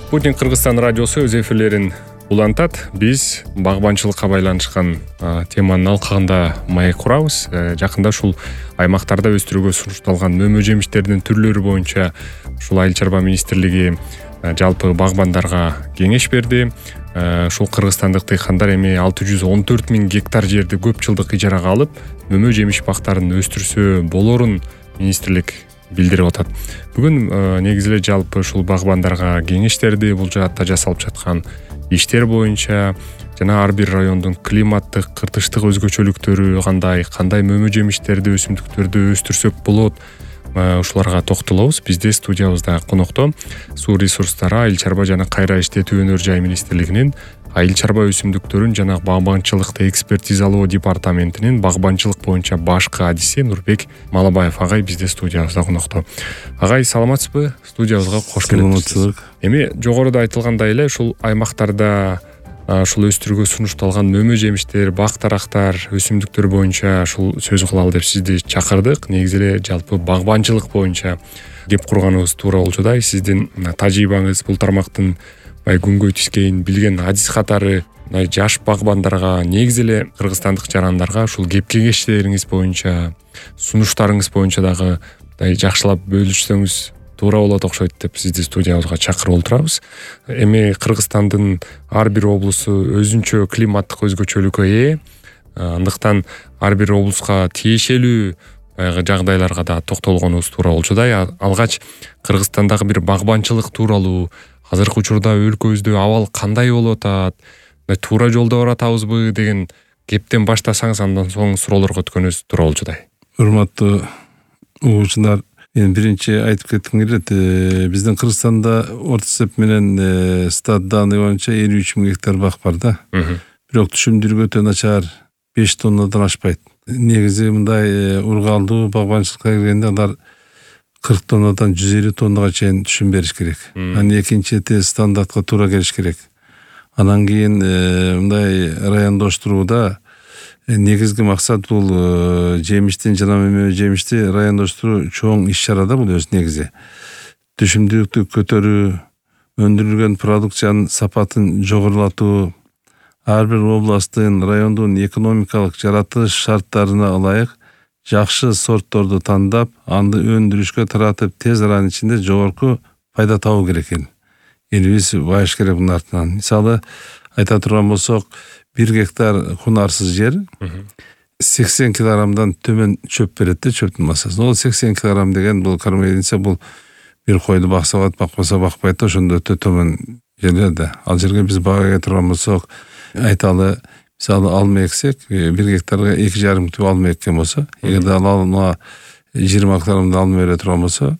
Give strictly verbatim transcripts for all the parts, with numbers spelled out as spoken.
Спутник Кыргызстан радиосу өз эфирлерин улантат. Биз багбанчылыкка байланышкан теманын алкагында маек курабыз. Жакында ушул аймактарда өстүрүүгө сунушталган мөмө жемиштердин түрлөрү боюнча ушул Айыл чарба министрлиги жалпы багбандарга кеңеш берди. Ушул кыргызстандык дыйкандар эми алты жүз он төрт миң гектар жерди көп жылдык ижарага алып, мөмө жемиш бактарын өстүрсө болорун министрлик билдирип атат. Бүгүн негизи эле жалпы ушул багбандарга кеңештерди, бул жаатта жасалып жаткан иштер боюнча жана ар бир райондун климаттык, кыртыштык өзгөчөлүктөрү кандай, кандай мөмө жемиштерди, өсүмдүктөрдү өстүрсөк болот, ушуларга токтолобуз. Бизде студиябызда конокто суу ресурстары, айыл чарба жана кайра иштетүү өнөр жай министрлигинин айыл чарба өсүмдүктөрүн жана багбанчылыкты экспертизалоо департаментинин багбанчылык боюнча башкы адиси Нурбек Малабаев агай бизде студиябызда конокто. Агай, саламатсызбы? Студиябызга кош келипсиз. Эми жогоруда айтылгандай эле ушул аймактарда ушул өстүрүүгө сунушталган мөмө жемиштер, бак тарактар, өсүмдүктөр боюнча ушул сөз кылалы деп сизди чакырдык. Негизи эле жалпы багбанчылык боюнча кеп курганыбыз туура болчу да. Сиздин тажрыйбаңыз бул тармактын күнгөй тискейин билген адис катары жаш багбандарга, негизи эле кыргызстандык жарандарга ушул кеп кеңештериңиз боюнча, сунуштарыңыз боюнча дагы жакшылап бөлүшсөңүз туура болот окшойт деп сизди студиябызга чакырып отурабыз. Эми Кыргызстандын ар бир облусу өзүнчө климаттык өзгөчөлүккө ээ. Андыктан ар бир облуска тиешелүү баягы жагдайларга да токтолгонубуз туура болчу да. Алгач Кыргызстандагы бир багбанчылык тууралуу, азыркы учурда өлкөбүздө абал кандай болуп атат, туура жолдо баратабызбы деген кептен баштасаңыз, андан соң суроолорго өткөнүбүз туура болчу да. Урматтуу угуучулар, мен биринчи айтып кетким келет. Биздин Кыргызстанда орто эсеп менен стат данный боюнча элүү үч миң гектар бак бар да. Бирок түшүмдүрүгү өтө начар, беш тоннадан ашпайт. Негизи мындай ургаалдуу багбанчылыкка келгенде алар кырк тоннадан жүз элүү тоннага чейин түшүм бериш керек. Анан экинчи стандартка туура келиш керек. Анан кийин мындай райондоштурууда негизги максат бул жемиштин жана мөмө жемишти райондоштуруу чоң иш-чара да. Бул өз негизи түшүмдүүлүктү көтөрүү, өндүрүлгөн продукциянын сапатын жогорулатуу, ар бир областтын, райондун экономикалык жаратылыш шарттарына ылайык жакшы сортторду тандап, анды өндүрүшкө таратып, тез аранын ичинде жогорку пайда табуу керек экен. Элибиз байыш керек мунун артынан. Мисалы айта турган болсок, бир гектар кунарсыз жер сексен килограммдан төмөн чөп берет да, чөптүн массасы. Ол сексен килограмм деген бул кармайдинсе бул бир койду бакса болот, бакпаса бакпайт да, ошондо өтө төмөн жерлер да. Ал жерге биз бага кете турган болсок, айталы, мисалы алма эксек, бир гектарга эки жарым түп алма эккен болсо, эгерде ал алма жыйырма килограммда алма бере турган болсо,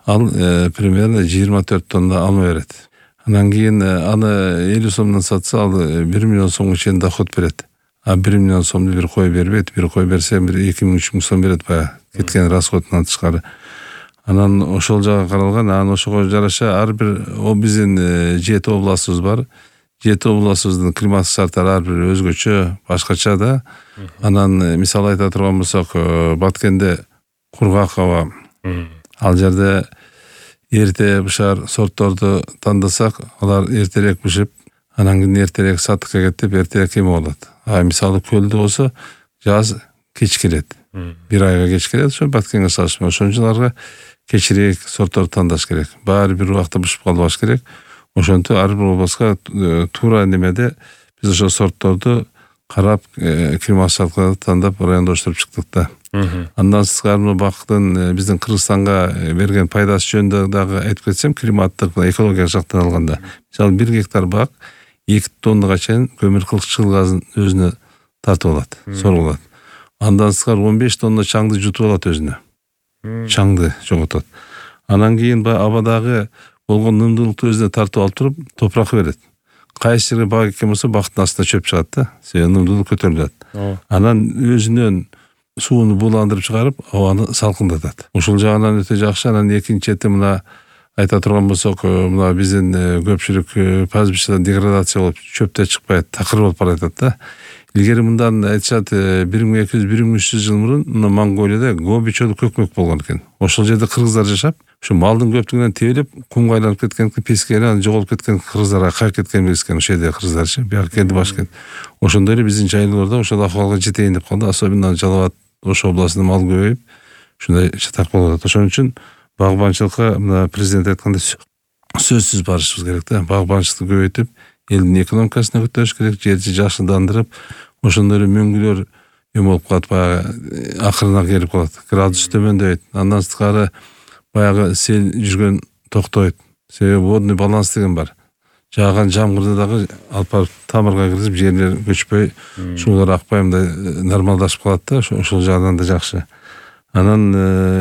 ал примерно жыйырма төрт тонна алма берет. Анан кийин аны элүү сомдон сатса, ал бир миллион сомго чейин доход берет. А бир миллион сомду бир кой бербейт. Бир кой берсе бир эки миң үч миң сом берет баягы кеткен расходунан тышкары. Анан ошол жага каралган, анан ошого жараша ар бир биздин жети областыбыз бар. Жети областыбыздын климаттык шарттары ар бир өзгөчө, башкача да. Анан мисалы айта турган болсок, Баткенде кургак аба. Ал жерде эрте бышар сортторду тандасак, алар эртерээк бышып, анан кийин эртерээк сатыкка кетип, эртерээк эме болот. А мисалы көлдө болсо, жаз кеч келет. Бир айга кеч келет, ошо Баткенге салыштырмалуу. Ошон үчүн аларга кечирээк сортторду тандаш керек. Баары бир убакта бышып калбаш керек. Ошентип ар бир областка туура немеде биз ошо сортторду карап, климат шарттарды тандап райондоштуруп чыктык да. Андан сырткары бактын биздин Кыргызстанга берген пайдасы жөнүндө дагы айтып кетсем, климаттык, экологиялык жактан алганда, мисалы бир гектар бак эки тоннага чейин көмүр кылчыл газын өзүнө тартып алат, соргулат. Андан сырткары он беш тонна чаңды жутуп алат өзүнө. Чаңды жоготот. Анан кийин абадагы болгон нымдуулукту өзүнө тартып алып туруп, топурак берет. Кайсы жерге бак эккен болсо, бактын астына чөп чыгат да, себеби нымдуулук көтөрүлөт. Анан өзүнөн сууну буландырып чыгарып, абаны салкындатат. Ушул жагынан өтө жакшы. Анан экинчи чети мына айта турган болсок, мына биздин көпчүлүк пастбищада деградация болуп, чөп да чыкпайт, такыр болуп баратат да. Илгери мындан айтышат, бир миң эки жүз бир миң үч жүз жыл мурун Монголияда Гоби чөлү көкмөк болгон экен. Ошол жерде кыргыздар жашап, Ушу малдын көптүгүнөн тебелеп кумга айланып кеткен пескени анан жоголуп кеткен кыргыздарга кайып кеткен билескен ошол жерде кыргыздарчы бияка келди башкент. Ошондой эле биздин жайлоолордо ошол акыбалга жетейин деп калды. Особенно Жалал Абад Ош областында мал көбөйүп ушундай чатак болуп атат. Ошон үчүн багбанчылыкка мына президент айткандай сөзсүз барышыбыз керек да. Багбанчылыкты көбөйтүп, элдин экономикасына көтөрүш керек, жерди жакшыландырып, ошондой эле мөңгүлөр эме болуп калат, баягы акырына келип калат. Градус төмөндөйт. Андан сырткары баягы сел жүргөн токтойт. Себеби водный баланс деген бар. Жааган жамгырды дагы алып барып тамырга киргизип, жерлер көчпөй, суулар акпай мындай нормалдашып калат да, ошол жагынан да жакшы. Анан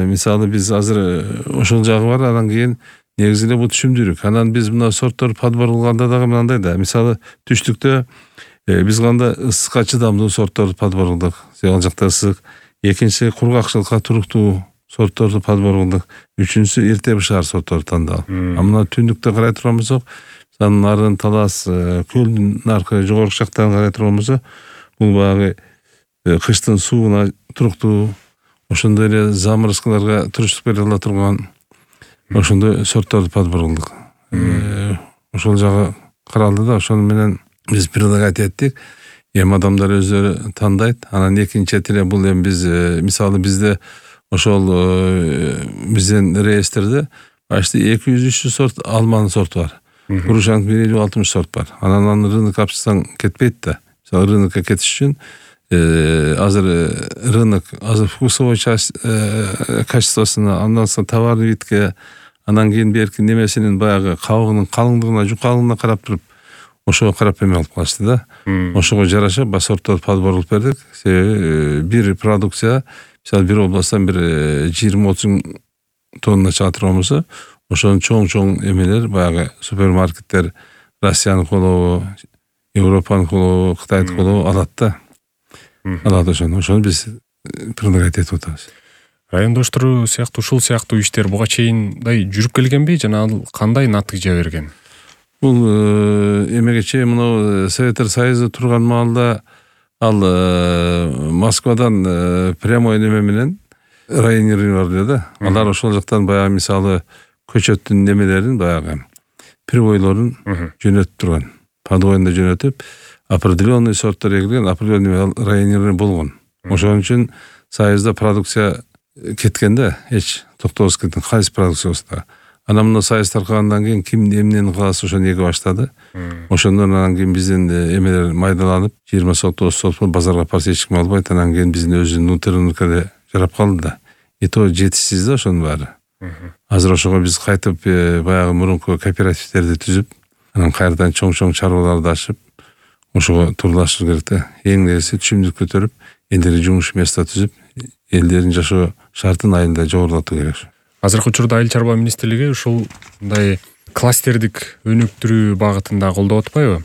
мисалы биз азыр ошол жагы бар, анан кийин негизи эле бул түшүмдүүлүк. Анан биз мына сорттор подбор кылганда дагы мындай да. Мисалы түштүктө биз кандай ысыкка чыдамдуу сортторду подбор кылдык. Ал жакта ысык. Экинчи кургакчылыкка туруктуу сортторду подбор кылдык. Үчүнчүсү эрте бышаар сортторду тандап. А мына түндүктө карай турган болсок, нарын талас, көлдүн наркы жогорку жактан карай турган болсо, бул баягы кыштын сууна туруктуу, ошондой эле замырыскыларга туруштук бере ала турган ошондой сортторду подбор кылдык. Ошол жагы каралды да, ошону менен биз предлагать эттик. Эми адамдар өздөрү тандайт. Анан экинчи эле бул эми биз мисалы бизде ошол биздин реестрде почти эки жүз үч жүз сорт алманын сорту бар. Грушанын бир элүү алтымыш сорт бар. Анан аны рынокко алып кетпейт да. Мисалы рынокко кетиш үчүн азыр рынок азыр вкусовой часть качествосуна, андан соң товарный видке, анан кийин берки немесинин баягы кабыгынын калыңдыгына, жукалыгына карап туруп ошого карап эме алып калышты да. Ошого жараша ба сорттор подбор кылып бердик. Себеби бир продукция мисалы бир областтан бир жыйырма отуз миң тонна чыга турган болсо, ошонун чоң-чоң эмелер баягы супермаркеттер Россиянын колобу, Европанын колобу, Кытайдын колобу алат да. Алат ошону. Ошону биз предлагать этип атабыз. Райондоштуруу сыяктуу ушул сыяктуу иштер буга чейиндай жүрүп келгенби жана ал кандай натыйжа берген? Бул эмеге чейин мына Советтер Союзу турган маалда ал Москвадан прямой неме менен районер бар эле да. Алар ошол жактан баягы мисалы көчөттүн немелерин баягы привойлорун жөнөтүп турган. Подвойно жөнөтүп, определенный сорттор эгилген, определенный районер болгон. Ошон үчүн Союзда продукция кеткен да, эч токтобоз кеткен, кайсы продукция болсо. Анан мына Союз таркагандан кийин ким эмнени кааласа ошону эге баштады. Ошондон анан кийин биздин эмелер майдаланып, жыйырма сот, отуз сот базарга апарса эч ким албайт. Анан кийин биздин өзүнүн внутрь рынокко жарап калды да. И то жетишсиз да ошонун баары. Азыр ошого биз кайтып баягы мурунку кооперативдерди түзүп, анан кайрадан чоң-чоң чарбаларды ачып, ошого турлашыш керек да. Эң нерсе түшүмдүк көтөрүп, элдерге жумуш место түзүп, элдердин жашоо шартын айында жогорулатуу керек. Азыркы учурда Айыл чарба министрлиги ушул мындай кластердик өнүктүрүү багытында колдоп атпайбы?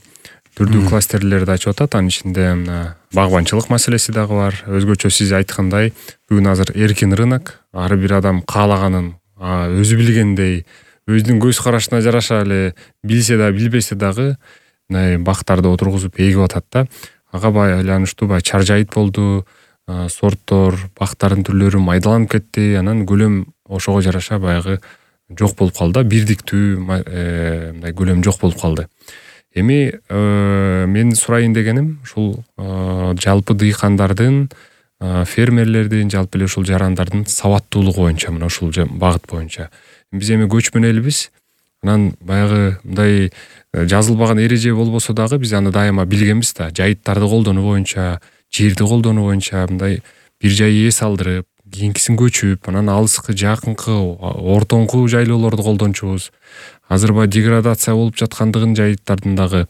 Түрдүү кластерлерди ачып атат. Анын ичинде мына багбанчылык маселеси дагы бар. Өзгөчө сиз айткандай, бүгүн азыр эркин рынок, ар бир адам каалаганын өзү билгендей, өзүнүн көз карашына жараша эле билсе да билбесе дагы мындай бактарды отургузуп эгип атат да. Ага байланыштуу баягы чаржайыт болду, сорттор, бактардын түрлөрү майдаланып кетти, анан көлөм ошого жараша баягы жок болуп калды, бирдиктүү мындай көлөм жок болуп калды. Эми мен сурайын дегеним ушул жалпы дыйкандардын, фермерлердин, жалпы эле ушул жарандардын сабаттуулугу боюнча, мына ушул багыт боюнча. Биз эми көчмөн элбиз. Анан баягы мындай жазылбаган эреже болбосо дагы биз аны дайыма билгенбиз да. Жайыттарды колдонуу боюнча, жерди колдонуу боюнча мындай бир жай ээ салдырып, кийинкисин көчүп, анан алыскы, жакынкы, ортоңку жайлоолорду колдончубуз. Азыр баягы деградация болуп жаткандыгын жайыттардын дагы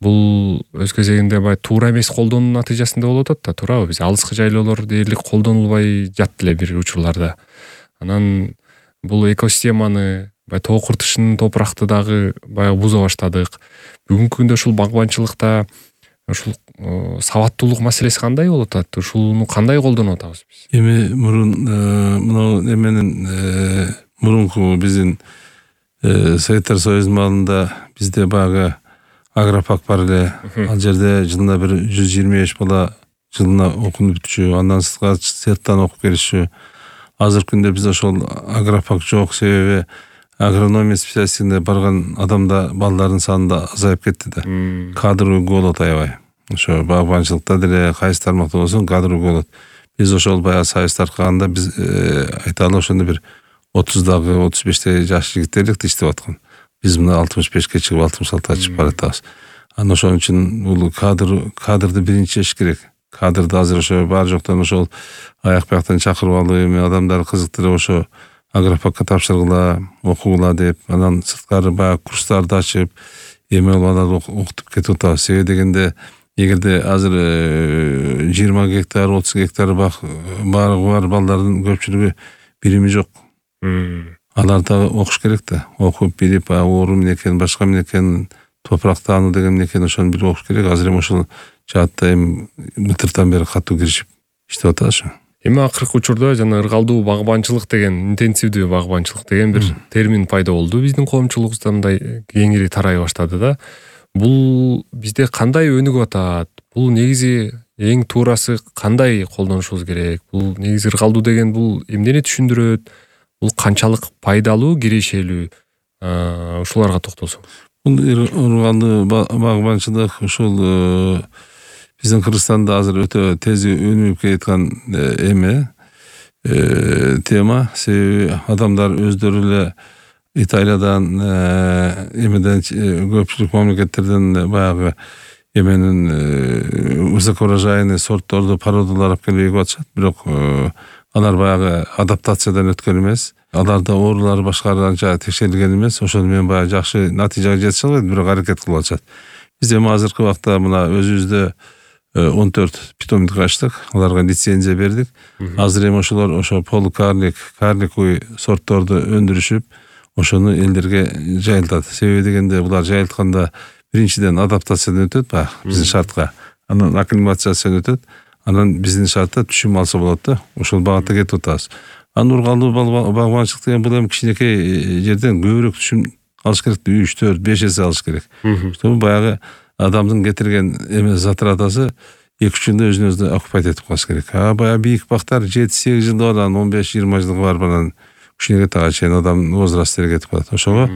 бул өз кезегинде баягы туура эмес колдонуу натыйжасында болуп атат да, туурабы? Биз алыскы жайлоолор дээрлик колдонулбай жатты эле бир учурларда. Анан бул экосистеманы, баягы тоо куртушунун топуракты дагы баягы буза баштадык. Бүгүнкү күндө ушул багбанчылыкта ушул сабаттуулук маселеси кандай болуп атат? Ушуну кандай колдонуп атабыз биз? Эми мурун мына эменин мурунку биздин Советтер Союзунун маалында бизде баягы агропак бар эле. Ал жерде жылына бир жүз жыйырма беш бала жылына окуп бүтчү, андан сырткары сырттан окуп келишчү. азыркы күндө биз ошол агрофак жок, себеби агрономия специалистине барган адамда балдардын саны да азайып кетти да. Кадровый голод аябай. Ошо багбанчылыкта деле кайсы тармакта болсун кадровый голод. Биз ошол баягы сайыс таркаганда биз айталы ошондо бир отуздагы отуз бештеги жаш жигиттер элек иштеп аткан. Биз мына алтымыш бешке чыгып алтымыш алтыга чыгып баратабыз. Анан ошон үчүн бул кадр кадрды биринчи эш керек. Кадрды азыр ошо бар жоктон ошол аяк бияктан чакырып алып, эми адамдарды кызыктырып ошо агрофакка тапшыргыла, окугула деп, анан сырткары баягы курстарды ачып, эми баларды окутуп кетип атабыз. Себеби дегенде, эгерде азыр жыйырма гектар, отуз гектар бак баарыгы бар балдардын көпчүлүгү билими жок. Алар да окуш керек да. Окуп билип, оору эмне экенин, башка эмне экенин, топурак таануу деген эмне экенин ошону билип окуш керек. Азыр эми ошол жаатта эми былтыртан бери катуу киришип иштеп атабыз. Эми акыркы учурда жана ыргалдуу багбанчылык деген, интенсивдүү багбанчылык деген бир термин пайда болду. Биздин коомчулугубузда мындай кеңири тарай баштады да. Бул бизде кандай өнүгүп атат? Бул негизи эң туурасы кандай колдонушубуз керек? Бул негизи ыргалдуу деген бул эмнени түшүндүрөт? Бул канчалык пайдалуу, кирешелүү? Ушуларга токтолсоңуз. Бул ыргалдуу багбанчылык ушул биздин Кыргызстанда азыр өтө тез өнүгүп келаткан эме тема. Себеби адамдар өздөрү эле Италиядан, эмеден көпчүлүк мамлекеттерден баягы эменин высокоурожайный сортторду, породалар алып келип эгип атышат. Бирок алар баягы адаптациядан өткөн эмес. Аларда оорулар башкары анча текшерилген эмес. Ошону менен баягы жакшы натыйжага жетише албайт, бирок аракет кылып атышат. Биз эми азыркы убакта мына өзүбүздө он төрт питомник ачтык, аларга лицензия бердик. Азыр эми ошолор ошо полукарлик, карликовый сортторду өндүрүшүп, ошону элдерге жайылтат. Себеби дегенде булар жайылтканда биринчиден адаптациядан өтөт, баягы биздин шартка. Анан акклиматизациядан өтөт. Анан биздин шартта түшүм алса болот да. Ошол багытта кетип атабыз. Анан ыргалдуу багбанчылык деген бул эми кичинекей жерден көбүрөөк түшүм алыш керек, үч, төрт, беш эсе алыш керек. Чтобы баягы адамдын кетирген эме затратасы эки үч жылда өзүн өзү окупайт этип калыш керек. А баягы бийик бактар жети сегиз жылда бар, анан он беш жыйырма жылга барып анан кичинекей тага чейин адамдын возрасттары кетип калат. Ошого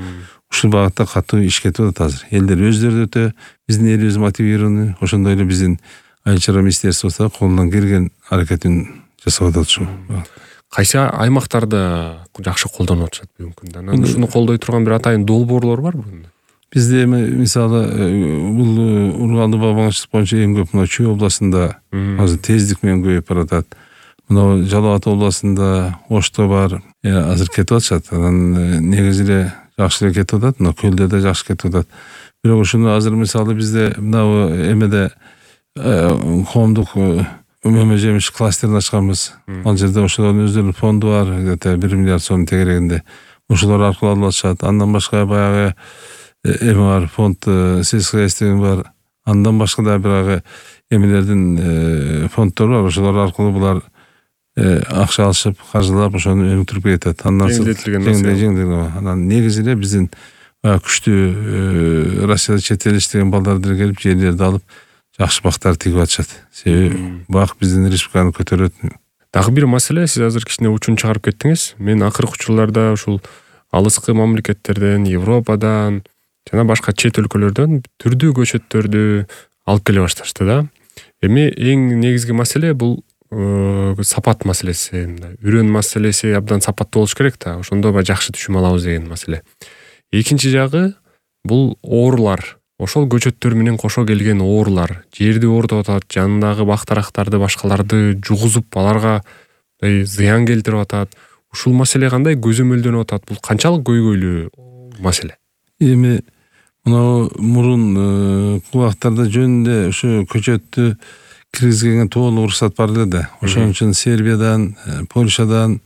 ушул багытта катуу иш кетип атат азыр. Элдер өздөрү өтө биздин элибиз мотивированный, ошондой эле биздин айыл чарба министерствосу да колунан келген аракетин жасап атат ушул. Кайсы аймактарда жакшы колдонуп атышат бүгүнкү күндө? Анан ушуну колдой турган бир атайын долбоорлор барбы? Бизде эми мисалы бул ыргалдуу багбанчылык боюнча эң көп мына Чүй областында азыр тездик менен көбөйүп баратат. Мына Жалал Абад областында Ошто бар, азыр кетип атышат. Анан негизи эле жакшы эле кетип атат, мына Көлдө да жакшы кетип атат. Бирок ушуну азыр мисалы бизде мына эмеде коомдук мөмө жемиш кластерин ачканбыз. Ал жерде ошолордун өздөрүнүн фонду бар, где-то бир миллиард сом тегерегинде. Ошолор аркылуу алып атышат. Андан башка баягы эме бар, фонд сельское хозяйство бар. Андан башка да баягы эмелердин фонддору бар. Ошолор аркылуу булар акча алышып, каржылап ошону өнүктүрүп кетет. Андан жеңилдетилген. Анан негизи эле биздин күчтүү Россияда чет эл иштеген балдар деле келип жерлерди алып жакшы бактар тигип атышат. Себеби бак биздин республиканы көтөрөт. Дагы бир маселе, сиз азыр кичине учун чыгарып кеттиңиз. Мен акыркы учурларда ушул алыскы мамлекеттерден, Европадан жана башка чет өлкөлөрдөн түрдүү көчөттөрдү алып келе башташты да. Эми эң негизги маселе бул сапат маселеси, үрөн маселеси абдан сапаттуу болуш керек да. Ошондо ба жакшы түшүм алабыз деген маселе. Экинчи жагы бул оорулар. Ошол көчөттөр менен кошо келген оорулар жерди оорутуп атат, жанындагы бак-дарактарды, башкаларды жугузуп, аларга зыян келтирип атат. Ушул маселе кандай көзөмөлдөнүп атат? Бул канчалык көйгөйлүү маселе? Эми мына мурун убактарда жөнүндө ошо көчөттү киргизгенге толук уруксат бар эле да. Ошон үчүн Сербиядан, Польшадан,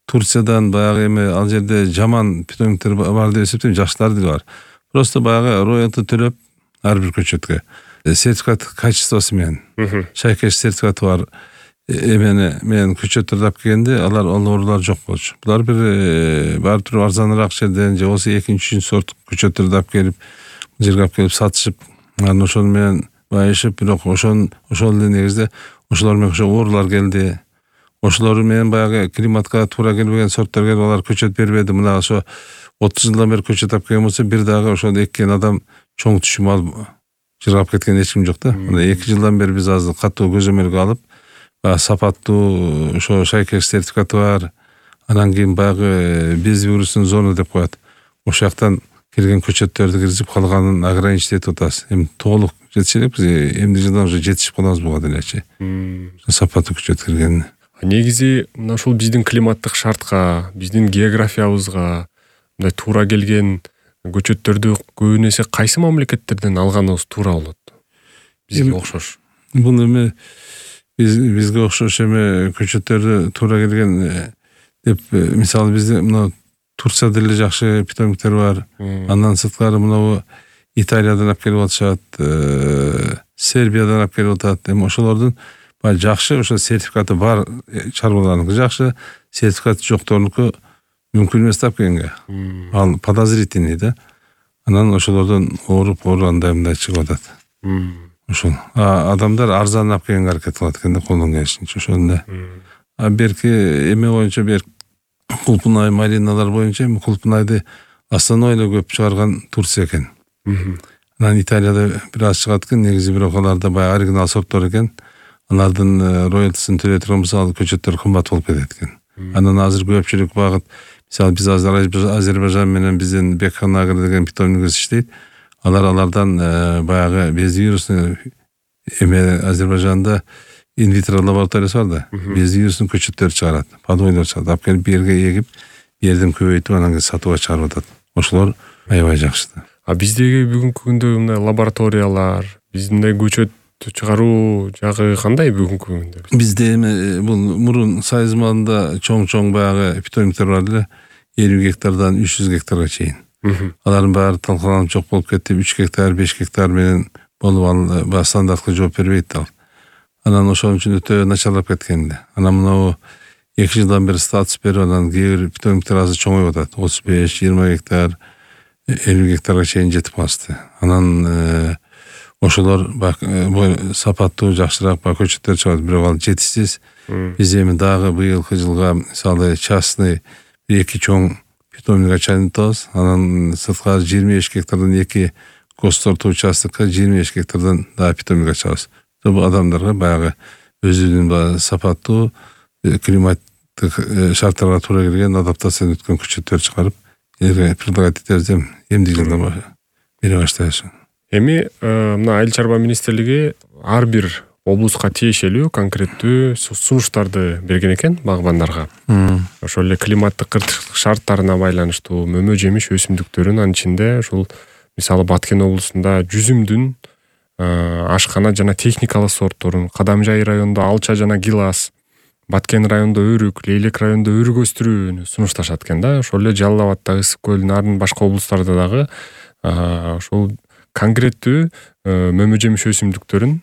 Турциядан баягы эми ал жерде жаман питомниктер бар деп эсептейм, жакшылар деле бар. Просто баягы роялты төлөп ар бир көчөткө сертификат качествосы менен шайкеш сертификаты бар эмени менен көчөттөрдү алып келгенде алар оорулар жок болчу. Булар бир баары туруп арзаныраак жерден же болбосо экинчи, үчүнчү сорт көчөттөрдү алып келип жерге алып келип сатышып, анан ошону менен байышып, бирок ошон ошол эле негизде ошолор менен ошо оорулар келди. ошолор менен баягы климатка туура келбеген сорттор келип алар көчөт бербеди. Мына ошо отуз жылдан бери көчөт алып келген болсо, бир дагы ошону эккен адам чоң түшүм алып жыргап кеткен эч ким жок да. Мына эки жылдан бери биз азыр катуу көзөмөлгө алып, сапаттуу ошо шайкеш сертификаты бар. Анан кийин баягы без вирусун зона деп коет. Ошол жактан келген көчөттөрдү киргизип, калганын ограничить этип атабыз. Эми толук жетише элек, биз эмди жылдан уже жетишип калабыз буга делечи. Сапаттуу көчөт кирген. Негизи мына ушул биздин климаттык шартка, биздин географиябызга мындай туура келген көчөттөрдү көбүн эсе кайсы мамлекеттерден алганыбыз туура болот? Бизге окшош. Бул эми биз бизге окшош эме көчөттөрдү туура келген деп, мисалы бизде мына Турцияда деле жакшы питомниктер бар. Андан сырткары мына Италиядан алып келип атышат, Сербиядан алып келип атат. Эми ошолордун баягы жакшы ошо сертификаты бар чарбаларыныкы жакшы, сертификаты жокторунуку мүмкүн эмес тап келгенге. Ал подозрительный да. Анан ошолордон ооруп ооруп андай мындай чыгып атат. Ошол. А адамдар арзан алып келгенге аракет кылат экен да, колдон келишинче ошондой. А берки эме боюнча бер кулпунай малиналар боюнча эми кулпунайды основной эле көп чыгарган Турция экен. Анан Италияда бир аз чыгат экен, негизи бирок аларда баягы оригинал сорттор экен. Алардын роялтысын төлөй турган болсо, ал көчөттөр кымбат болуп кетет экен. Анан азыр көпчүлүк багыт, мисалы биз азыр Азербайжан менен биздин Бекханагыр деген питомнигибиз иштейт. Алар алардан баягы без вирусный эме Азербайжанда инвитро лабораториясы бар да, без вирусный көчөттөр чыгарат, подойлор чыгарат. Алып келип жерге эгип, жерден көбөйтүп, анан кийин сатууга чыгарып атат. Ошолор аябай жакшы. А биздеги бүгүнкү күндө мындай лабораториялар, биздин көчөт чыгаруу жагы кандай бүгүнкү күндө? Бизде эми бул мурун Сайыз маалында чоң-чоң баягы питомниктер бар эле, элүү гектардан үч жүз гектарга чейин. Алардын баары талкаланып жок болуп кетти. үч гектар, беш гектар менен болуп ал баягы стандартка жооп бербейт ал. Анан ошон үчүн өтө начарлап кеткен да. Анан мына эки жылдан бери статус берип, анан кээ бир питомниктер азыр чоңоюп атат. отуз беш, жыйырма гектар, элүү гектарга чейин жетип калышты. Анан ошолор сапаттуу жакшыраак баягы көчөттөр чыгат, бирок ал жетишсиз. Биз эми дагы быйылкы жылга мисалы частный эки чоң питомник ачайын атабыз. Анан сырткары жыйырма беш гектардан эки госторто участокко жыйырма беш гектардан дагы питомник ачабыз. Бул адамдарга баягы өзүнүн баягы сапаттуу климаттык шарттарга туура келген адаптациядан өткөн көчөттөр чыгарып, элге предлагать этебиз, эмди жылдан бере баштайбыз. Эми мына Айыл чарба министрлиги ар бир облуска тиешелүү конкреттүү сунуштарды берген экен багбандарга. Ошол эле климаттык кыртыштык шарттарына байланыштуу мөмө жемиш өсүмдүктөрүн, анын ичинде ушул мисалы Баткен облусунда жүзүмдүн ашкана жана техникалык сортторун, Кадамжай районунда алча жана гилас, Баткен районунда өрүк, Лейлек районунда өрүк өстүрүүнү сунушташат экен да. Ошол эле Жалал Абадта, Ысык көл, Нарын башка облустарда дагы ошол конкреттүү мөмө жемиш өсүмдүктөрүн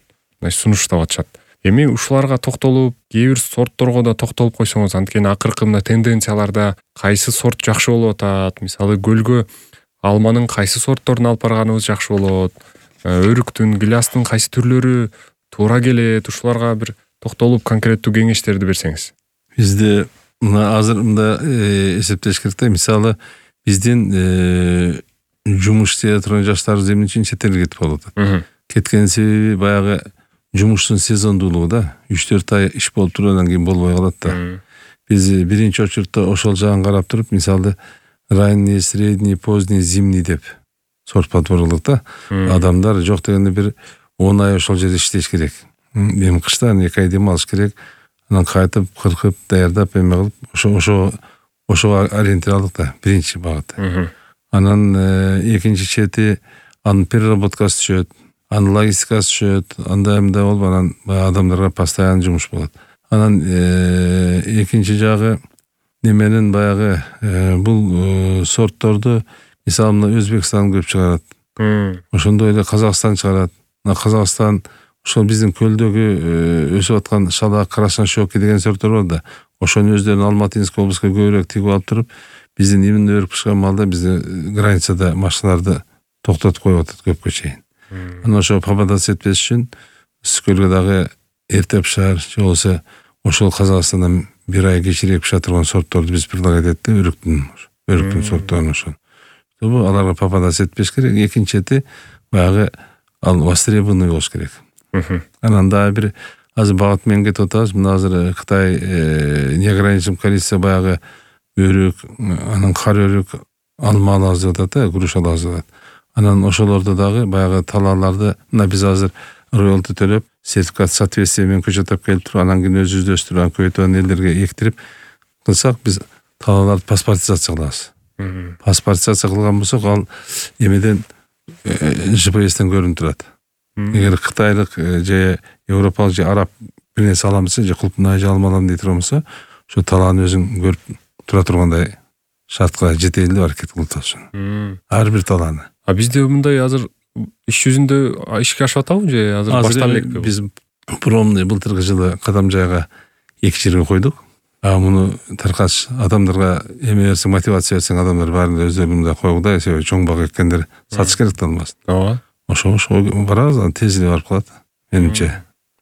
сунуштап атышат. Эми ушуларга токтолуп, кээ бир сортторго да токтолуп койсоңуз, анткени акыркы мына тенденцияларда кайсы сорт жакшы болуп атат, мисалы көлгө алманын кайсы сортторун алып барганыбыз жакшы болот, өрүктүн, гилястын кайсы түрлөрү туура келет, ушуларга бир токтолуп конкреттүү кеңештерди берсеңиз. Бизде мына азыр мында эсептеш керек да, мисалы биздин жумуш істей турган жаштарыбыз эмне үчүн чет элге кетип калып атат. Кеткен себеби баягы жумуштун сезондуулугу да. үч төрт ай иш болуп туруп, андан кийин болбой калат да. Биз биринчи очередте ошол жагын карап туруп, мисалы ранний, средний, поздний, зимний деп сорт подбор кылдык да. Адамдар жок дегенде бир он ай ошол жерде иштеш керек. Эми кышта эки ай дем алыш керек. Анан кайтып, кыркып, даярдап эме кылып, ошо ошо ошого ориентир алдык да, биринчи багыт. Анан экинчи чети анын переработкасы түшөт, анын логистикасы түшөт, анда эмне болуп, анан адамдарга постоянно жумуш болот. Анан экинчи жагы неменин баягы бул сортторду мисалы мына Өзбекстан көп чыгарат. Ошондой эле Казакстан чыгарат. Мына Казакстан ошол биздин көлдөгү өсүп аткан шалак, красношёки деген сорттор бар да. Ошону өздөрүнүн Алматинский облуска көбүрөөк тигип алып туруп, биздин именно өрүк пышкан малда бизде границада машиналарды токтотуп коюп атат көпкө чейин. Анан ошо попадаться этпеш үчүн Ысык көлгө дагы эрте пышар, же болбосо ошол Казакстандан бир ай кечирээк пиша турган сортторду биз предлагать этти, өрүктүн өрүктүн сортторун ошол. Бул аларга попадаться этпеш керек. Экинчи баягы ал востребованный болуш керек. Анан дагы бир азыр багыт менен кетип атабыз. Мына азыр Кытай неограниченное количество баягы өрүк, анан кар өрүк, алма алабыз деп атат, груш алабыз деп атат. Анан ошолордо дагы баягы талааларды мына биз азыр роялти төлөп, сертификат соответствие менен көчөт алып келип туруп, анан кийин өзүбүздү өстүрүп, анан көбөйтүп элдерге эктирип кылсак, биз талааларды паспортизация кылабыз. Паспортизация кылган болсок, ал эмеден жи пи эстен көрүнүп турат. Эгер кытайлык же европалык же араб бир нерсе алам десе, же кулпнай же алма алам дей турган болсо, ошо талааны өзүң көрүп тура тургандай шартка жетели деп аракет кылып атабыз. Ар бир талааны. А бизде мындай азыр иш жүзүндө ишке ашып атабы же азыр баштан элекпи? Биз промный былтыркы жылы Кадам жайга эки жерге койдук. А муну таркаш адамдарга эме берсең, мотивация берсең, адамдар баарын өздөрү мындай койгудай, себеби чоң бак эккендер сатыш керек да алмасын. Ооба. Ошо ошо барабыз, анан тезлеп барып калат. Менимче.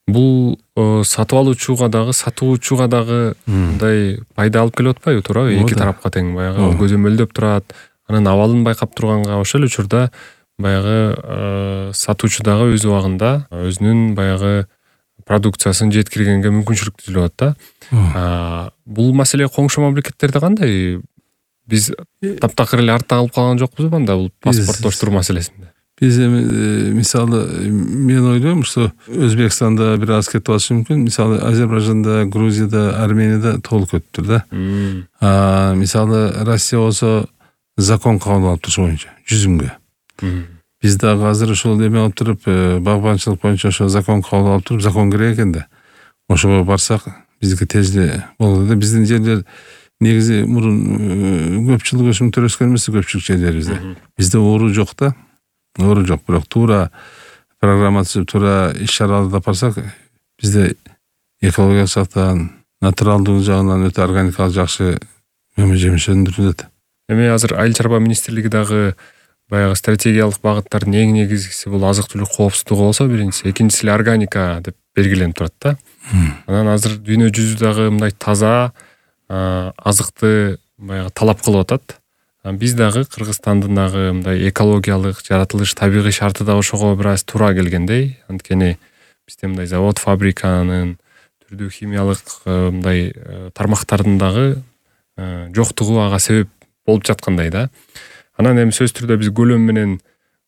Бул сатып алуучуга дагы, сатуучуга дагы мындай пайда алып келип атпайбы, туурабы? Эки тарапка тең баягы көзөмөлдөп турат. Анын абалын байкап турганга ошол учурда баягы сатуучу дагы өз убагында өзүнүн баягы продукциясын жеткиргенге мүмкүнчүлүк түзүлүп атат да. Бул маселе коңшу мамлекеттерде кандай? Биз таптакыр эле артта калып калган жокпузбу анда бул паспорттоштуруу маселесинде? Биз эми мисалы мен ойлойм, что Өзбекстанда бир аз кетип атышы мүмкүн. Мисалы Азербайжанда, Грузияда, Арменияда толук өттүр да. А мисалы Россия болсо закон кабыл алып туруш боюнча жүзүмгө. Биз дагы азыр ошол эме алып туруп, багбанчылык боюнча ошо закон кабыл алып туруп, закон керек экен да. Ошого барсак, биздики тезле болот да. Биздин жерлер негизи мурун көпчүлүк өсүмдүктөр өскөн эмес көпчүлүк жерлерибизде. Бизде оору жок да. Оору жок, бирок туура программа түзүп, туура иш-чараларды алып барсак, бизде экологиялык жактан, натуралдуу жагынан өтө органикалык жакшы мөмө жемиш өндүрүлөт. Эми азыр Айыл чарба министрлиги дагы баягы стратегиялык багыттардын эң негизгиси бул азык-түлүк коопсуздугу болсо, биринчиси, экинчиси эле органика деп белгиленип турат да. Анан азыр дүйнө жүзү дагы мындай таза азыкты баягы талап кылып атат. Биз дагы Кыргызстандын дагы мындай экологиялык жаратылыш, табигый шарты да ошого бир аз туура келгендей. Анткени бизде мындай завод, фабриканын түрдүү химиялык мындай тармактардын дагы жоктугу ага себеп болуп жаткандай да. Анан эми сөзсүз түрдө биз көлөм менен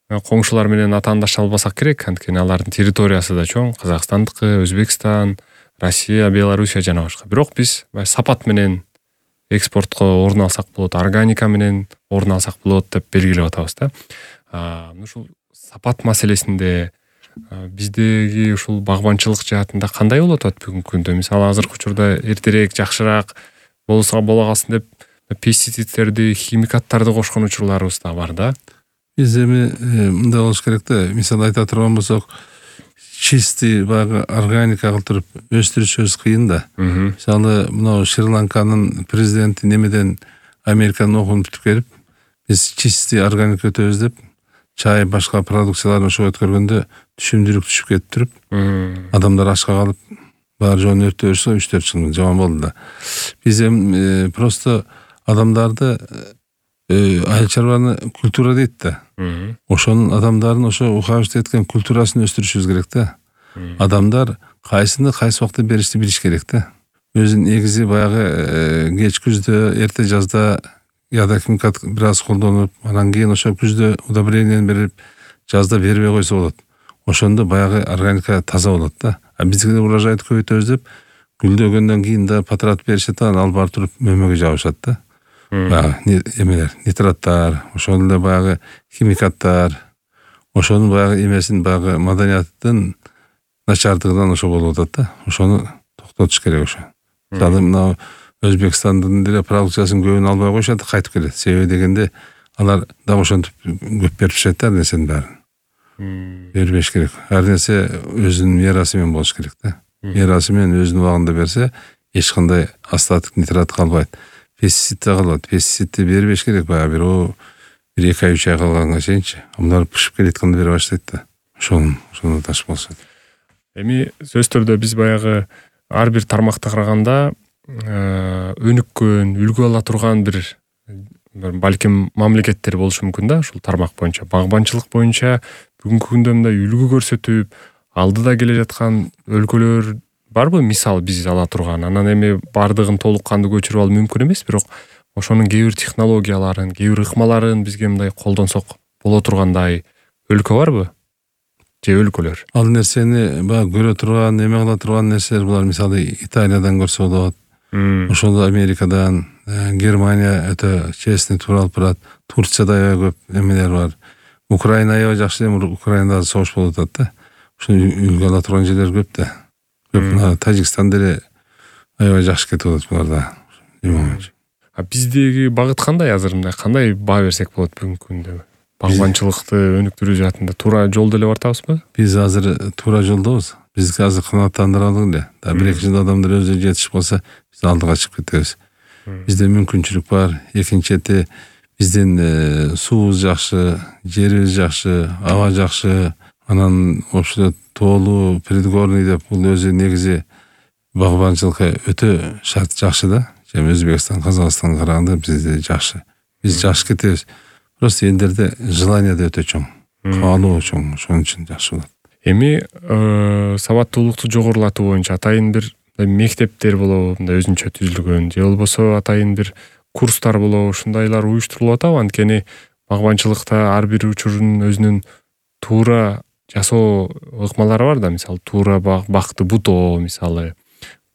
коңшулар менен атаандаша албасак керек, анткени алардын территориясы да чоң. Казакстандыкы, Өзбекстан, Россия, Белоруссия жана башка. Бирок биз сапат менен экспортко орун алсак болот, органика менен орун алсак болот деп белгилеп атабыз да. Ушул сапат маселесинде биздеги ушул багбанчылык жаатында кандай болуп атат бүгүнкү күндө? Мисалы азыркы учурда эртерээк, жакшыраак болсо боло калсын деп пестицидтерди, химикаттарды кошкон учурларыбыз да бар да. Биз эми мындай болуш керек да. Мисалы айта турган болсок, чистый баягы органика кылып туруп өстүрүшүбүз кыйын да. Мисалы мына Шри-Ланканын президенти немеден Американын окуун бүтүп келип, биз чистый органика өтөбүз деп, чай башка продукцияларын ошого өткөргөндө түшүмдүүлүк түшүп кетип туруп, адамдар ачка калып, баары жоон өрттөп жүрсө үч төрт жыл жаман болду да. Биз эми просто адамдарды айыл чарбаны культура дейт да. Ошонун адамдарын ошо ухаживать эткен культурасын өстүрүшүбүз керек да. Адамдар кайсыны кайсы убакта беришти билиш керек да. Өзүнүн негизи баягы кеч күздө, эрте жазда яда химикат бир аз колдонуп, анан кийин ошо күздө удобрениени берип, жазда бербей койсо болот. Ошондо баягы органика таза болот да. А биздики урожайды көбөйтөбүз деп, гүлдөгөндөн кийин да патрат беришет, анан алып барып туруп мөмөгө жабышат да. Баягы эмелер, нитраттар, ошол эле баягы химикаттар, ошонун баягы эмесин, баягы маданияттын начардыгынан ошо болуп атат да. Ошону токтотуш керек ошо. Мисалы мына Өзбекстандын деле продукциясын көбүн албай коюшат, кайтып келет. Себеби дегенде алар дагы ошентип көп берип турушат да, нерсенин баарын. Бербеш керек. Ар нерсе өзүнүн мерасы менен болуш керек да. Мерасы менен өзүнүн убагында берсе, эч кандай астатык нитрат калбайт. Пестицид да калбайт. Пестицидти бербеш керек, баягы бир о бир эки ай үч ай калганга чейинчи. Алар пышып келеткенде бере баштайт да. Ошону ошону ташып алышат. Эми сөзсүз түрдө биз баягы ар бир тармакта караганда өнүккөн, үлгү ала турган бир балким мамлекеттер болушу мүмкүн да, ушул тармак боюнча. Багбанчылык боюнча бүгүнкү күндө мындай үлгү көрсөтүп, алдыда келе жаткан өлкөлөр барбы? Мисал биз ала турган. Анан эми бардыгын толук кандуу көчүрүп алуу мүмкүн эмес, бирок ошонун кээ бир технологияларын, кээ бир ыкмаларын бизге мындай колдонсок боло тургандай өлкө барбы? Же өлкөлөр? Ал нерсени баягы көрө турган, эме кыла турган нерселер булар. Мисалы Италиядан көрсө болот. Ошол Америкадан, Германия өтө честный туура алып барат. Турцияда аябай көп эмелер бар. Украина аябай жакшы, эми Украинада согуш болуп атат да. Ушуну үлгү ала турган жерлер көп да. Көп. Тажикстан деле аябай жакшы кетип атат буларда. А биздеги багыт кандай азыр, мындай кандай баа берсек болот бүгүнкү күндө? Багбанчылыкты өнүктүрүү жаатында туура жолдо эле бартабызбы? Биз азыр туура жолдобуз. Бизге азыр канааттандыралык эле. Да бир эки жылда адамдар өзү жетишип калса, биз алдыга чыгып кетебиз. Бизде мүмкүнчүлүк бар. Экинчи чети биздин суубуз жакшы, жерибиз жакшы, аба жакшы. Анан ошо тоолуу, предгорный деп бул өзү негизи багбанчылыкка өтө шарт жакшы да. Эми Өзбекстан, Казакстанга караганда бизде жакшы. Биз жакшы кетебиз. Просто элдерде желание да өтө чоң. Каалоо чоң. Ошон үчүн жакшы болот. Эми сабаттуулукту жогорулатуу боюнча атайын бир мектептер болобу, мындай өзүнчө түзүлгөн, же болбосо атайын бир курстар болобу, ушундайлар уюштурулуп атабы? Анткени багбанчылыкта ар бир учурдун өзүнүн туура жасоо ыкмалары бар да. Мисалы туура бакты бутоо, мисалы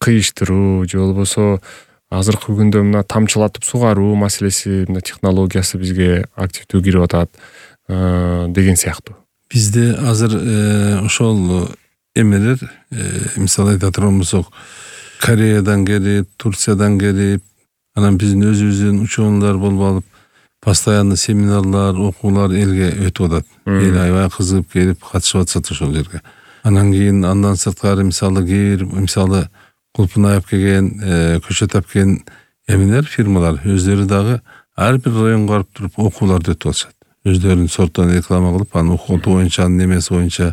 кыйыштыруу, же болбосо азыркы күндө мына тамчылатып сугаруу маселеси, мына технологиясы бизге активдүү кирип атат деген сыяктуу. Бизде азыр ошол эмелер, мисалы айта турган болсок, Кореядан келип, Турциядан келип, анан биздин өзүбүздүн ученыйлар болуп алып, постоянно семинарлар, окуулар элге өтүп атат. Эл аябай кызыгып келип катышып атышат ошол жерге. Анан кийин андан сырткары мисалы кээ бир мисалы кулпун аяп келген, көчөт ап келген эмелер, фирмалар өздөрү дагы ар бир районго барып туруп окууларды өтүп атышат. Өздөрүнүн сорттон реклама кылып, анын окутуу боюнча, анын немеси боюнча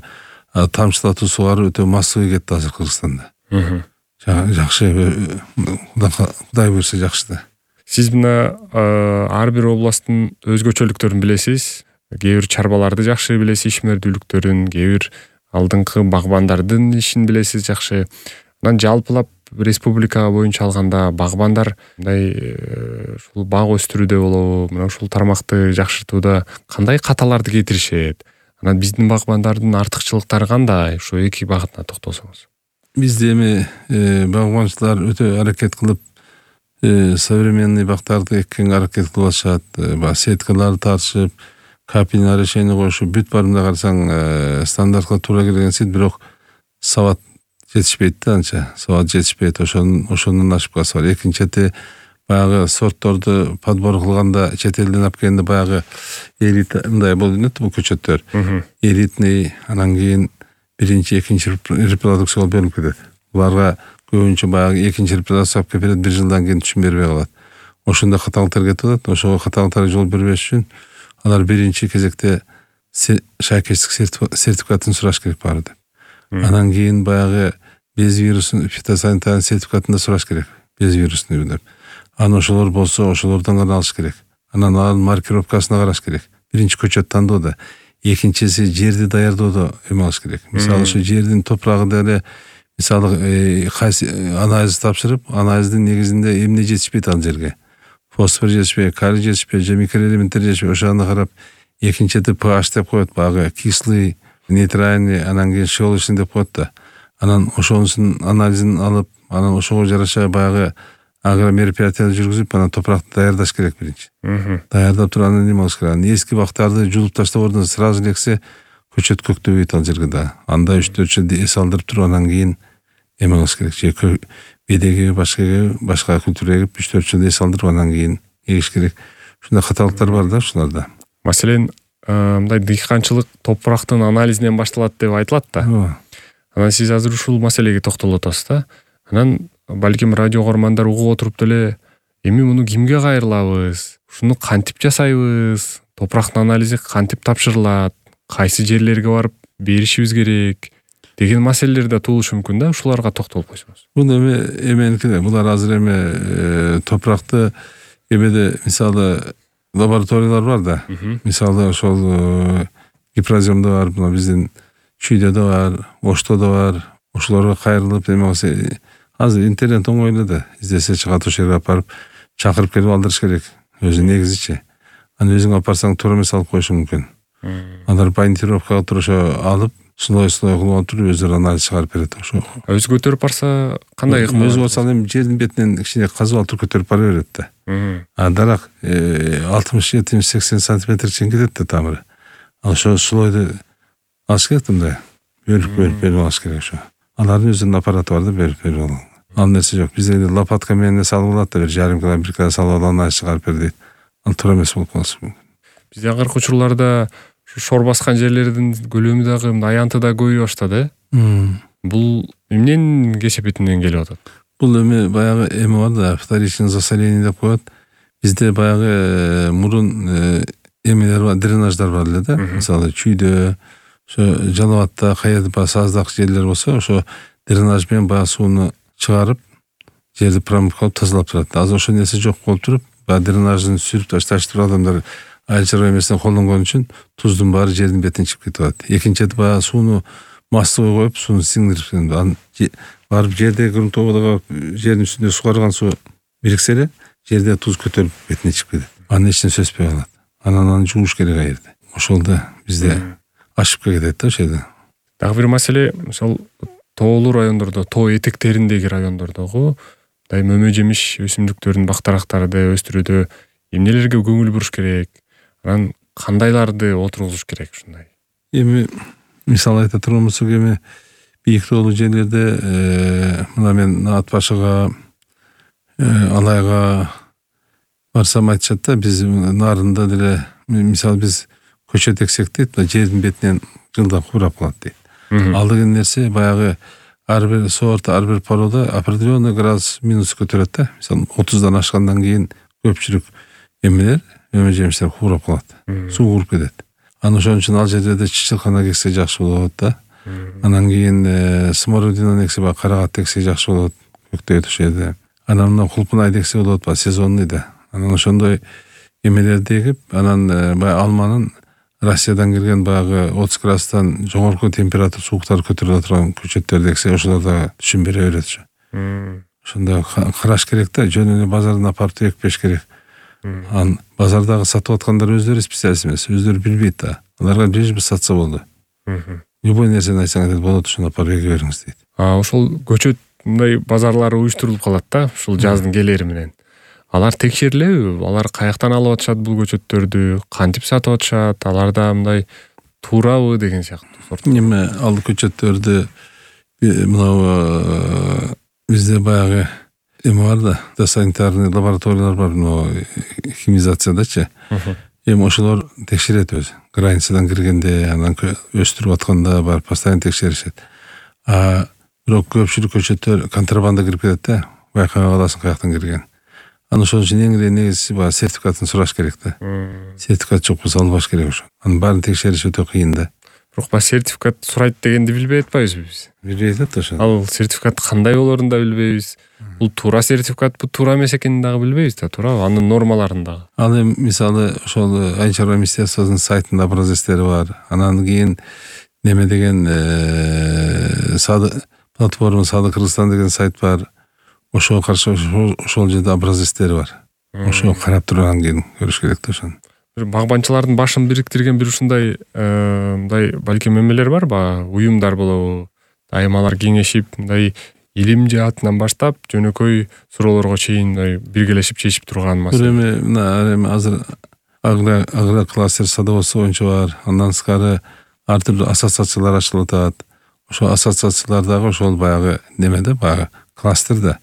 тамчылатуу сугаруу өтө массовый кетти азыр Кыргызстанда. Жакшы, Кудай буйрса жакшы да. Сиз мына ар бир областтын өзгөчөлүктөрүн билесиз. Кээ бир чарбаларды жакшы билесиз, ишмердүүлүктөрүн, кээ бир алдыңкы багбандардын ишин билесиз жакшы. Анан жалпылап республика боюнча алганда багбандар мындай ушул бак өстүрүүдө болобу, мына ушул тармакты жакшыртууда кандай каталарды кетиришет? Анан биздин багбандардын артыкчылыктары кандай? Ушу эки багытына токтолсоңуз. Бизде эми багбанчылар өтө аракет кылып, современный бактарды эккенге аракет кылып атышат. Баягы сеткаларды тартышып, капельное решение коюшуп, бүт барымда карасаң стандартка туура келген сит, бирок сабат жетишпейт да, анча. Сабат жетишпейт, ошонун ошонун ошибкасы бар. Экинчи чети баягы сортторду подбор кылганда чет элден алып келгенде баягы элита мындай болуп жүрөт бул көчөттөр. Элитный, анан кийин биринчи, экинчи репродукцияга бөлүнүп кетет. Буларга көбүнчө баягы экинчи репродукция алып келип берет, бир жылдан кийин түшүн бербей калат. Ошондо каталыктар кетип атат. Ошого каталыктарга жол бербеш үчүн алар биринчи кезекте шайкечтик сертификатын сураш керек баары деп. Анан кийин баягы без вирусун фитосанитарный сертификатын да сураш керек. Без вирусный деп. Анан ошолор болсо, ошолордон гана алыш керек. Анан анын маркировкасына караш керек. Биринчи көчөт тандоодо, экинчиси жерди даярдоодо эме алыш керек. Мисалы ошо жердин топурагы деле мисалы анализ тапшырып, анализдин негизинде эмне жетишпейт ал жерге. Фосфор жетишпейт, калий жетишпейт, же микроэлементтер жетишпейт. Ошону карап, экинчи чети pH деп коет, баягы кислый, нейтральный, анан кийин щелочный деп коет да. Анан ошонун анализин алып, анан ошого жараша баягы агромероприятия жүргүзүп, анан топуракты даярдаш керек биринчи. Даярдап туруп анан эме кылыш керек. Эски бактарды жулуп таштап ордун сразу элексе көчөт көктөбөйт ал жерге да. Анда үч төрт жыл эс алдырып туруп анан кийин эме кылыш керек. Же бедеге башка башка культура эгип үч төрт жыл эс алдырып анан кийин эгиш керек. Ушундай каталыктар бар да ушуларда. Маселен, мындай дыйканчылык топурактын анализинен башталат деп айтылат да. Анан сиз азыр ушул маселеге токтолуп атасыз да. Анан балким радио көрөрмандар угуп отуруп деле, эми муну кимге кайрылабыз? Ушуну кантип жасайбыз? Топурактын анализи кантип тапшырылат? Кайсы жерлерге барып беришибиз керек? деген маселелер да туулушу мүмкүн да, ушуларга токтолуп койсоңуз. Бул эми эменики да, булар азыр эми топуракты эмеде мисалы лабораториялар бар да. Мисалы ошол гипроземде бар, мына биздин чүйдө да бар, ошто да бар. Ошолорго кайрылып эме болсо азыр интернет оңойлуу да, издесе чыгат, ошол жерге апарып чакырып келип алдырыш керек. Өзү негизичи. Аны өзүң апарсаң туура эмес алып коюшу мүмкүн. Алар бандировкага туруп ошо алып, слой-слой кылып туруп өздөрү анализ чыгарып берет. Ошо өзү көтөрүп барса кандай ыкма? Өзү болсо эми жердин бетинен кичине казып алып туруп көтөрүп бара берет да. А дарак алтымыш жетимиш сексен сантиметр чейин кетет да тамыры. Ал ошо слойду алыш керек да, бөлүп бөлүп берип алыш керек ошо. Алардын өзүнүн аппараты бар да, берип берип алуу. Ал нерсе жок. Бизде лопатка менен салып алат да, бир жарым кило, бир кило салып алып анализ чыгарып бер дейт. Ал туура эмес болуп калышы мүмкүн. Бизде акыркы учурларда шор баскан жерлердин көлөмү дагы, аянты да көбөйүп баштады. Бул эмненин кесепетинен келип атат? Бул эми баягы эме бар да, вторичный засоление деп коет. Бизде баягы мурун эмелер бар, дренаждар бар эле да. Мисалы чүйдө, ошо жалабатта каерде баягы саздак жерлер болсо, ошо дренаж менен баягы сууну чыгарып, жерди промывкалап тазалап турат. Азыр ошол нерсе жок болуп туруп, баягы дренажын сүрүп ташташып туруп адамдар айыл чарба эмесине колдонгон үчүн туздун баары жердин бетине чыгып кетип атат. Экинчиси баягы сууну массовый коюп, сууну сиңдирип, анан барып жердеги грунтовыйга жердин үстүндө сугарган суу бириксе эле, жерде туз көтөрүп бетине чыгып кетет. Анын эч нерсе өспөй калат. Анан аны жууш керек аерде. Ошол да бизде ашып кетет да ошол жерде. Дагы бир маселе, ошол тоолуу райондордо, тоо этектериндеги райондордогу мындай мөмө жемиш өсүмдүктөрдүн бактарактарды өстүрүүдө эмнелерге көңүл буруш керек? Анан кандайларды отургузуш керек ушундай? Эми мисалы айта турган болсок, эми бийик тоолуу жерлерде мына мен Ат башыга, Алайга барсам айтышат да, биз нарында деле мисалы биз көчөт эксек дейт, жердин бетинен жылдам курап калат дейт. Ал деген нерсе баягы ар бир сорт, ар бир порода определенный градус минус көтөрөт да. Мисалы отуздан ашкандан кийин көпчүлүк эмелер, мөмө жемиштер курап калат. Суу куруп кетет. Анан ошон үчүн ал жерде чычылкана эксе жакшы болот да. Анан кийин смородина эксе, баягы карагат эксе жакшы болот. Көктөйт ошол жерде. Анан мына кулпунай эксе болот, баягы сезонный да. Анан ошондой эмелерди эгип, анан баягы алманын Россиядан келген баягы отуз градустан жогорку температура сууктар көтөрүлө турган көчөттөрдү эксе, ошолор да түшүн бере берет ошо. Ошондо караш керек да, жөн эле базардан апарып экпеш керек. Анан базардагы сатып аткандар өздөрү специалист эмес, өздөрү билбейт да. Аларга лишь бы сатса болду. Любой нерсени айтсаң айтат, болот, ошону апарып эге бериңиз дейт. А ошол көчөт мындай базарлары уюштурулуп калат да, ушул жаздын келери менен. Алар текшерилеби? Алар каяктан алып атышат бул көчөттөрдү? Кантип сатып атышат? Аларда мындай туурабы деген сыяктуу. Эми ал көчөттөрдү мына бизде баягы эме бар да, санитарный лабораториялар бар, химизациядачы. Эми ошолор текшерет өзү. Границадан киргенде, анан өстүрүп атканда бар, постоянно текшеришет. А бирок көпчүлүк көчөттөр контрабанда кирип кетет да, байкабай каласың каяктан кирген. Анан ошон үчүн эң эле негизгиси баягы сертификатын сураш керек да. Сертификат жок болсо албаш керек ошо. Анын баарын текшериш өтө кыйын да. Бирок баягы сертификат сурайт дегенди билбей атпайбызбы биз? Билбей атат ошо. Ал сертификат кандай болорун да билбейбиз. Бул туура сертификат, бул туура эмес экенин дагы билбейбиз да, туурабы? Анын нормаларын дагы. Ал эми мисалы ошол айыл чарба министерствосунун сайтында образецтери бар. Анан кийин неме деген платформа Сады Кыргызстан деген сайт бар. Ошого каршы ошол жерде образецтери бар. Ошого карап тургандан кийин көрүш керек да ошону. Бир багбанчылардын башын бириктирген бир ушундай мындай балким эмелер барбы? Уюмдар болобу? Дайыма алар кеңешип, мындай илим жаатынан баштап жөнөкөй суроолорго чейин мындай биргелешип чечип турган маселе. Бир эми мына эми азыр агро кластер садоводство боюнча бар. Андан сырткары ар түрдүү ассоциациялар ачылып атат. Ошол ассоциациялардагы ошол баягы неме да, баягы кластер да.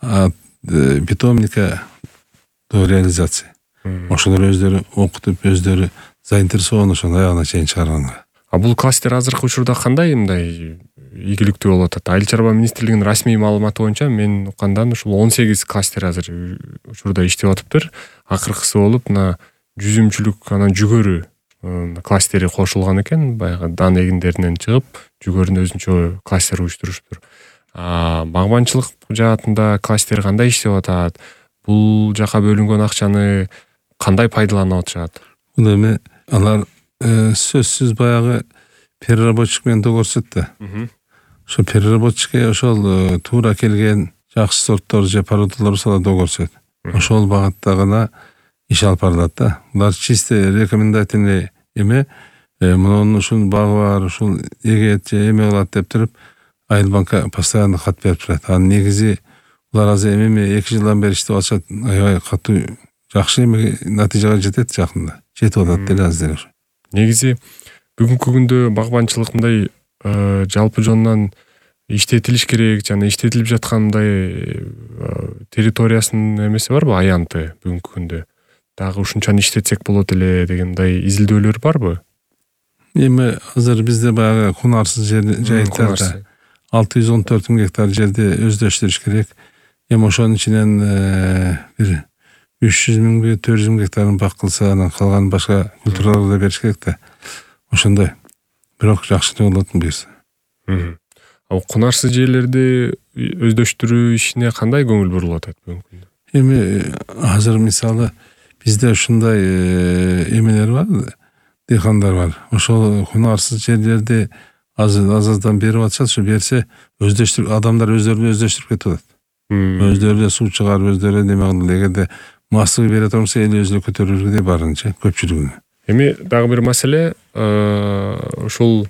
От питомника до реализации. Ошолор өздөрү окутуп, өздөрү заинтересован ошону аягына чейин чыгарганга. А бул кластер азыркы учурда кандай мындай ийгиликтүү болуп атат? Айыл чарба министрлигинин расмий маалыматы боюнча мен уккандан ушул он сегиз кластер азыр учурда иштеп атыптыр. Акыркысы болуп мына жүзүмчүлүк, анан жүгөрү кластери кошулган экен, баягы дан эгиндеринен чыгып жүгөрүнө өзүнчө кластер уюштурушуптур. Багбанчылык жаатында кластер кандай иштеп атат? Бул жака бөлүнгөн акчаны кандай пайдаланып атышат? Бул эми алар сөзсүз баягы переработчик менен догорсот да. Ошо переработчикке ошол туура келген жакшы сорттор же породалар болсо догорсот. Ошол багытта гана иш алып барылат да. Булар чисто рекомендательный эме, мунун ушул багы бар, ушул эгет же эме кылат деп туруп Айылбанкка постоянно кат берип турат. Анын негизи булар азыр эми эки жылдан бери иштеп атышат. Аябай катуу жакшы эме натыйжага жетет жакында. Жетип атат деле азыр. Негизи бүгүнкү күндө багбанчылык мындай жалпы жонунан иштетилиш керек, жана иштетилип жаткандай территориясынын эмеси барбы, аянты бүгүнкү күндө? Дагы ушунчаны иштетсек болот эле деген мындай изилдөөлөр барбы? Эми азыр бизде баягы кунарсыз жер жайыттарда алты жүз он төрт миң гектар жерди өздөштүрүш керек. Эми ошонун ичинен бир үч жүз миңби төрт жүз миң гектарын бак кылса, анан калганын башка культураларга бериш керек да. Ошондой. Бирок жакшы болот буюрса. Ал кунарсыз жерлерди өздөштүрүү ишине кандай көңүл бурулуп атат бүгүнкү күндө? Эми азыр мисалы бизде ушундай эмелер бар, дыйкандар бар. Ошол кунарсыз жерлерди аз-аздан берип атышат, ошо берсе өздөштүр адамдар өздөрүн өздөштүрүп кетип атат. Өздөрү суу чыгарып, өздөрү неме кылып, эгерде массовый бере турса эл өзү көтөрүлгүдей барынча көпчүлүгүнө. Эми дагы бир маселе, ушул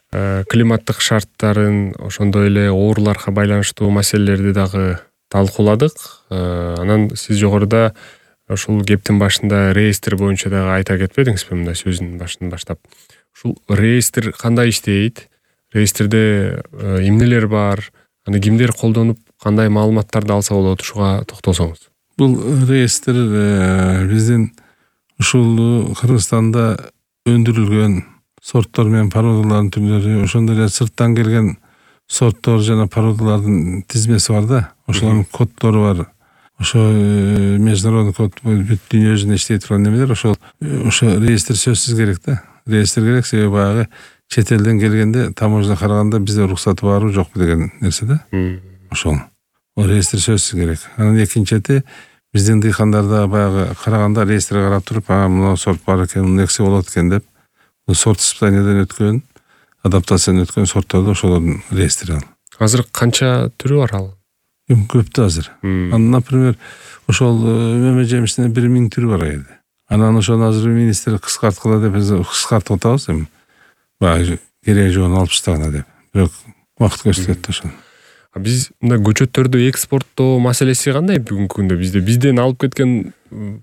климаттык шарттарын, ошондой эле ооруларга байланыштуу маселелерди дагы талкууладык. Анан сиз жогоруда ушул кептин башында реестр боюнча дагы айта кетпедиңизби, мындай сөзүнүн башынан баштап? Ушул реестр кандай иштейт? Реестрде эмнелер бар? Аны кимдер колдонуп, кандай маалыматтарды алса болот? Ушуга токтолсоңуз. Бул реестр биздин ушул Кыргызстанда өндүрүлгөн сорттор менен породалардын түрлөрү, ошондой эле сырттан келген сорттор жана породалардын тизмеси бар да. Ошолордун коддору бар. Ошо международный код бүт дүйнө жүзүндө иштей турган немелер, ошол ошо реестр сөзсүз керек да. Реестр керек, себеби баягы чет элден келгенде таможня караганда бизде уруксаты барбы жокпу деген нерсе да. Ошол. О реестр сөзсүз керек. Анан экинчи биздин дыйкандарда баягы караганда реестрге карап туруп, а мына сорт бар экен, муну эксе болот экен деп, сорт испытаниядан өткөн, адаптациядан өткөн сортторду ошолордун реестри ал. Азыр канча түрү бар ал? Көп да азыр. Анан, например, ошол мөмө жемишинин бир миң түрү бар айда. Анан ошону азыр министр кыскарткыла деп кыскартып атабыз эми. Баягы кереги жоон алып таштагына деп. Бирок убакыт көрсөтөт ошол. Биз мына көчөттөрдү экспорттоо маселеси кандай бүгүнкү күндө? Бизде бизден алып кеткен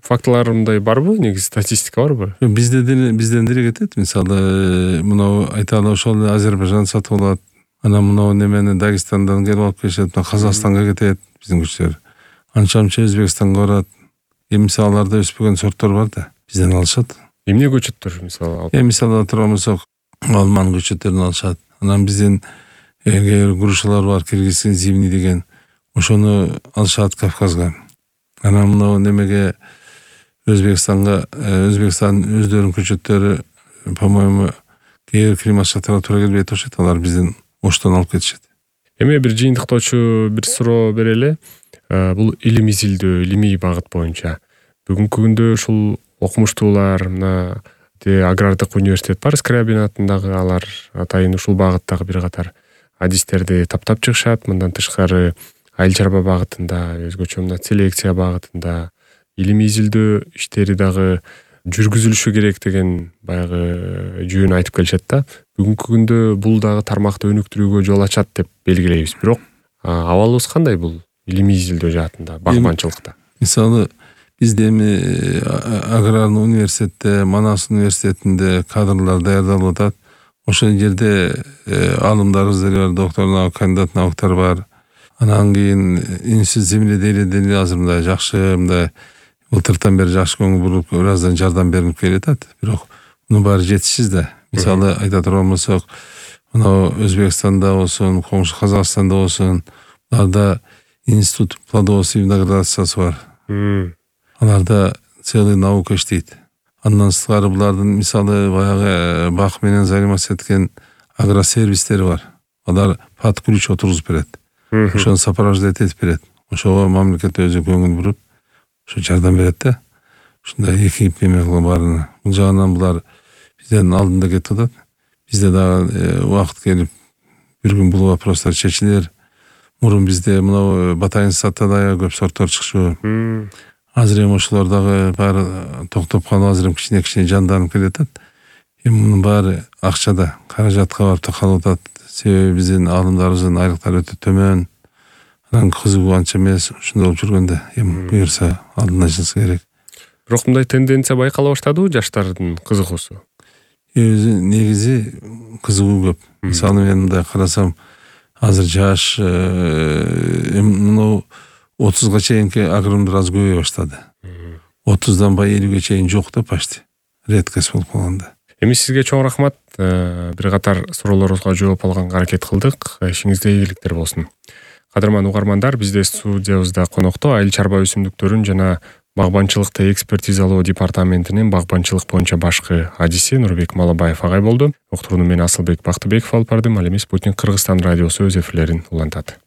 фактылар мындай барбы? Негизи статистика барбы? Бизде деле бизден деле кетет. Мисалы, мына айталы ошол Азербайжан сатып алат. Анан мына немени Дагестандан келип алып келишет, Казакстанга кетет биздин күчтөр. Анча-мынча Өзбекстанга барат. Эми мисалларда өспөгөн сорттор бар да, бизден алышат. Эмне көчөттөр мисалы? Эми мисалы турган болсок, алман көчөттөрүн алышат. Анан биздин грушалар бар, киргизский зимний деген. Ошону алышат Кавказга. Анан мына немеге Өзбекстанга, Өзбекстан өздөрүнүн көчөттөрү, по-моему, кээ бир климат шарттарга туура келбей атышат, алар бизден Оштон алып кетишет. Эми бир жыйынтыктоочу бир суроо берели. Бул илим изилдөө, илимий багыт боюнча. Бүгүнкү күндө ушул окумуштуулар, мына агрардык университет бар, Скрябин атындагы, алар атайын ушул багыттагы бир катар адистерди таптап чыгышат. Мындан тышкары айыл чарба багытында, өзгөчө мына селекция багытында илимий изилдөө иштери дагы жүргүзүлүшү керек деген баягы жөн айтып келишет да. Бүгүнкү күндө бул дагы тармакты өнүктүрүүгө жол ачат деп белгилейбиз. Бирок абалыбыз кандай бул илимий изилдөө жаатында, багбанчылыкта? Мисалы, бизде эми аграрный университетте, Манас университетинде кадрлар даярдалып атат. Ошол жерде алымдарыбыз деле бар, доктор, кандидат науктар бар. Анан кийин институт земледелия азыр мындай жакшы, мындай былтыртан бери жакшы көңүл буруп, ыраздан жардам берип келатат. Бирок мунун баары жетишсиз да. Мисалы айта турган болсок, мына Өзбекстанда болсун, коңшу Казакстанда болсун, аларда институт плодоводства и виноградарствосы бар. Аларда целый наука иштейт. Андан сырткары булардын мисалы баягы бак менен заниматься эткен агросервистери бар. Алар под ключ отургузуп берет. Ошону сопровождать этип берет. Ошого мамлекет өзү көңүл буруп, ошо жардам берет да. Ушундай экип эме кылган баарына. Бул жагынан булар бизден алдында кетип атат. Бизде дагы убакыт келип бир күн бул вопростор чечилер. Мурун бизде мына батайынсатта да көп сорттор чыкчу. Азыр эми ошолор дагы баары токтоп калып, азыр эми кичине кичине жанданып келатат. Эми мунун баары акчада, каражатка барып такалып атат. Себеби биздин алымдарыбыздын айлыктары өтө төмөн. Анан кызыгуу анча эмес. Ушундай болуп жүргөндө эми буюрса алдын ачылса керек. Бирок мындай тенденция байкала баштадыбы жаштардын кызыгуусу? Өзү негизи кызыгуу көп. Мисалы мен мындай карасам, азыр жаш мына отузга чейинки агрономдор аз көбөйө баштады. отуздан бай элүүгө чейин жок да почти. Редкость болуп калганда. Эми сизге чоң рахмат. Бир катар суроолоруңузга жооп алганга аракет кылдык. Ишиңизде ийгиликтер болсун. Кадырман угармандар, бизде студиябызда конокто айыл чарба өсүмдүктөрүн жана багбанчылыкты экспертизалоо департаментинин багбанчылык боюнча башкы адиси Нурбек Малабаев агай болду. Уктурууну мен Асылбек Бактыбеков алып бардым. Ал эми Спутник Кыргызстан радиосу өз эфирлерин улантат.